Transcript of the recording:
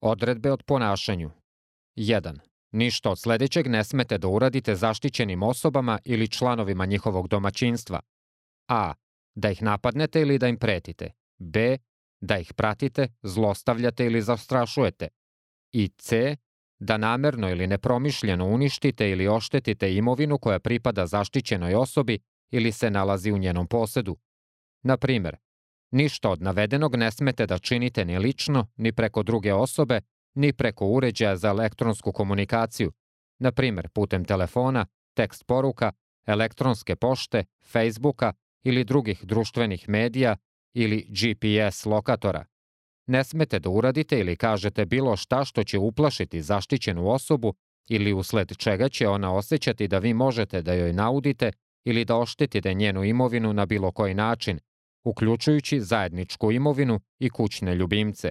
Odredbe od ponašanju. 1. Ništa od sledećeg ne smete da uradite zaštićenim osobama ili članovima njihovog domaćinstva. A. Da ih napadnete ili da im pretite. B. Da ih pratite, zlostavljate ili zastrašujete. I C. Da namerno ili nepromišljeno uništite ili oštetite imovinu koja pripada zaštićenoj osobi ili se nalazi u njenom posedu. Na primer, ništa od navedenog ne smete da činite ni lično, ni preko druge osobe, ni preko uređaja za elektronsku komunikaciju, na primer putem telefona, tekst poruka, elektronske pošte, Facebooka ili drugih društvenih medija ili GPS lokatora. Ne smete da uradite ili kažete bilo šta što će uplašiti zaštićenu osobu ili usled čega će ona osjećati da vi možete da joj naudite ili da oštetite njenu imovinu na bilo koji način, uključujući zajedničku imovinu i kućne ljubimce.